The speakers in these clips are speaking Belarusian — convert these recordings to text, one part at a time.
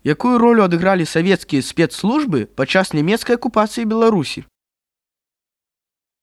Якую ролю адыгралі савецкія спецслужбы падчас нямецкай акупацыі Беларусі?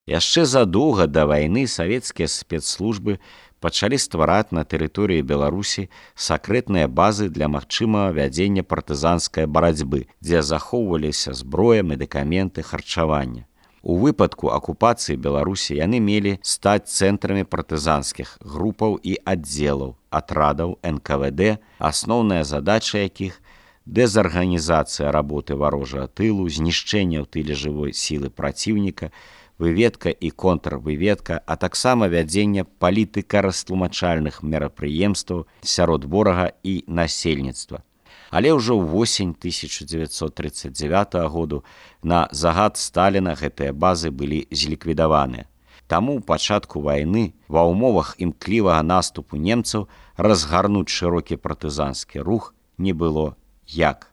Яшчэ задоўга да вайны савецкія спецслужбы пачалі ствараць на тэрыторыі Беларусі сакрэтныя базы для магчымага вядзення партызанскай барацьбы, дзе захоўваліся зброя, медыкаменты, харчаванне. У выпадку акупацыі Беларусі яны мелі стаць цэнтрамі партызанскіх групаў і аддзелаў, атрадаў НКВД, асноўная задача якіх дэзарганізацыя работы варожага тылу, знішчэнне ў тыле жывой сілы праціўніка, выведка і контрвыведка, а таксама вядзенне палітыка-растлумачальных мерапрыемстваў сярод ворага і насельніцтва. Але ўжо ўвосень 1939 году на загад Сталіна гэтыя базы былі зліквідаваныя. Таму ў пачатку вайны ва ўмовах імклівага наступу немцаў разгарнуць шырокі партызанскі рух не было як.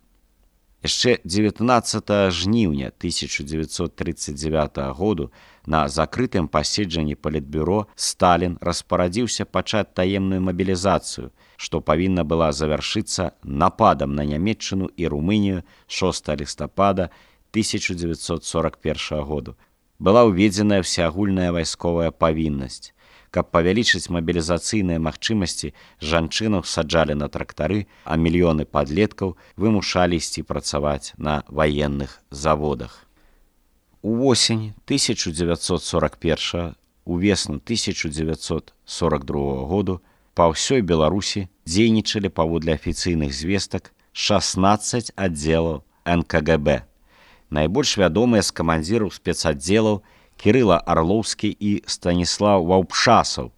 Яшчэ 19 жніўня 1939 году на закрытым паседжанні Палітбюро Сталін распарадзіўся пачаць таемную мабілізацыю, што павінна была завяршыцца нападам на Нямецчыну і Румынію 6 лістапада 1941 году. Была ўведзеная всеагульная вайсковая павіннасць. Каб павялічыць мабілізацыйныя магчымасці, жанчынаў саджалі на трактары, а мільёны падлеткаў вымушалі ісці працаваць на ваенных заводах. Увосень 1941, увесну 1942 году па ўсёй Беларусі дзейнічалі паводле афіцыйных звестак 16 аддзелаў НКГБ. Найбольш вядомыя з камандзіраў спецаддзелаў Кірыла Арлоўскі і Станіслаў Ваўпшасаў.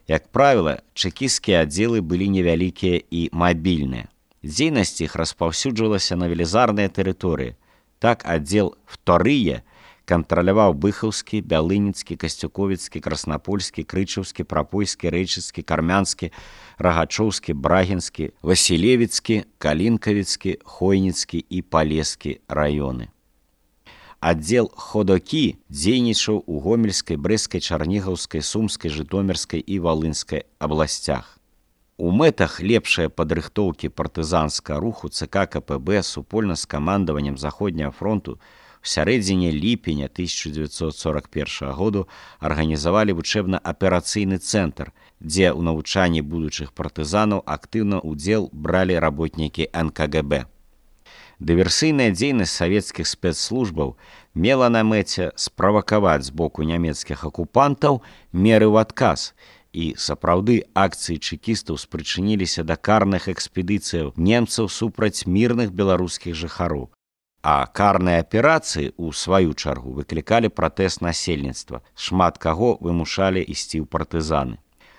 Як правіла, чэкісцкія аддзелы былі невялікія і мабільныя. Дзейнасць іх распаўсюджвалася на велізарныя тэрыторыі. Так аддзел «Вторыя» кантраляваў Быхаўскі, Бялыніцкі, Касцюковіцкі, Краснапольскі, Крычаўскі, Прапойскі, Рэйчыцкі, Кармянскі, Рагачоўскі, Брагінскі, Васілевіцкі, Калінкавіцкі, Хойніцкі і Палескі раёны. Аддзел «Ходокі» дзейнічаў у Гомельскай, Брэскай, Чарнігаўскай, Сумскай, Жытомірскай і Валынскай абласцях. У мэтах лепшай падрыхтоўкі партызанскага руху ЦК КПБ супольна з камандаваннем Заходняга фронту у сярэдзіне ліпеня 1941 году арганізавалі вучэбна-аперацыйны цэнтр, дзе ў навучанні будучых партызанаў актыўна ўдзел бралі работнікі НКГБ. Дыверсійная дзейнасць савецкіх спецслужбаў мела на мэце справакаваць з боку нямецкіх акупантаў меры ў адказ, і сапраўды акцыі чэкістаў спрычыніліся да карных экспедыцыяў немцаў супраць мірных беларускіх жыхароў. А карныя аперацыі, у сваю чаргу, выклікалі пратэст насельніцтва, шмат каго вымушалі ісці ў партызаны.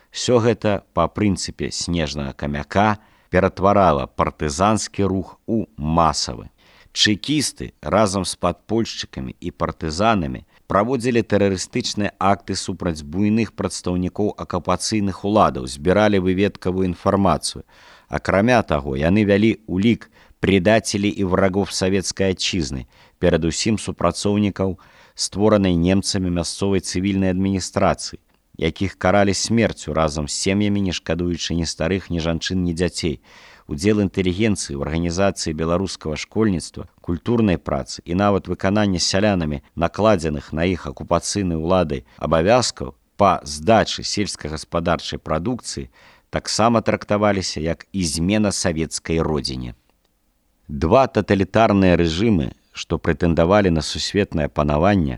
Всё гэта па прынцыпе снежнага камяка ператварала партызанскі рух у масавы. Чэкісты разам з падпольшчыкамі і партызанамі праводзілі тэрарыстычныя акты супраць буйных прадстаўнікоў акупацыйных уладаў, збіралі выведкавую інфармацыю. Акрамя таго, яны вялі улік предателей і врагов савецкай атчызны, перадусім супрацоўнікаў створанай немцамі мясцовай цывільнай адміністрацыі, якіх каралі смерцю разам з сем'ямі, не шкадуючы ні старых, ні жанчын, ні дзяцей. Удзел інтэлігенцыі ў арганізацыі беларускага школьніцтва, культурнай працы і нават выканання сялянамі накладзеных на іх акупацыйнай уладай абавязкаў па здачы сельскагаспадарчай прадукцыі таксама трактаваліся як ізмена савецкай родзіне. Два таталітарныя рэжымы, што прэтэндавалі на сусветнае панаванне,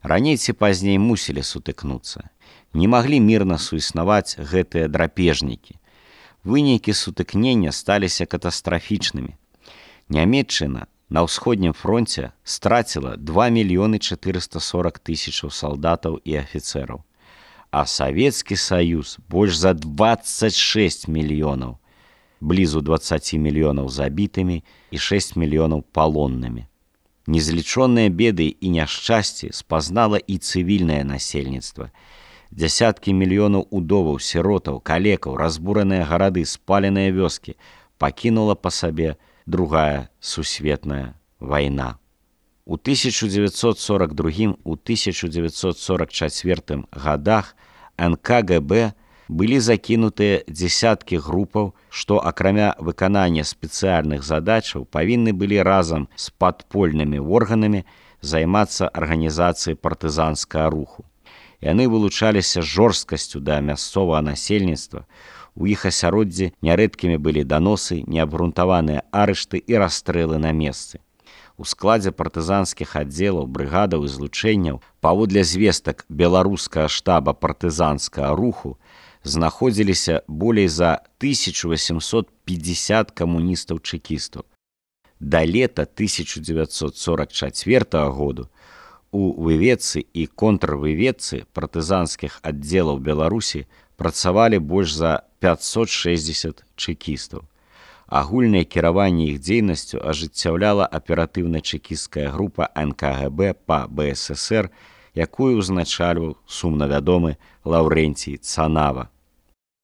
раней ці пазней мусілі сутыкнуцца. Не маглі мірна суіснаваць гэтыя драпежнікі. Вынікі сутыкнення сталіся катастрафічнымі. Нямецчына на ўсходнім фронце страціла 2 440 000 салдатаў і афіцэраў, а Савецкі Саюз больш за 26 мільёнаў, блізу 20 мільёнаў забітымі і 6 мільёнаў палоннымі. Незлічоныя беды і няшчасці спазнала і цывільнае насельніцтва. Дзясяткі мільёнаў удоваў, сіротаў, калекаў, разбураныя гарады, спаленыя вёскі пакінула па сабе другая сусветная вайна. У 1942 – 1944 годах НКГБ былі закінутыя дзесяткі групаў, што акрамя выканання спецыяльных задачаў павінны былі разам з падпольнымі органамі займацца арганізацыяй партызанскага руху. Яны вылучаліся жорсткасцю да мясцовага насельніцтва, у іх асяроддзі нярэдкімі былі даносы, неабгрунтаваныя арышты і расстрэлы на месцы. У складзе партызанскіх аддзелаў, брыгадаў і злучэнняў, паводле звестак беларускага штаба партызанскага руху, знаходзіліся болей за 1850 камуністаў-чэкістаў. Да лета 1944 году у выведцы і контрвыведцы партызанскіх аддзелаў Беларусі працавалі больш за 560 чэкістаў. Агульнае кіраванне іх дзейнасцю ажыццяўляла аператыўна-чэкісцкая група НКГБ па БССР, якую ўзначальваў сумна вядомы Лаўрэнцій Цанава.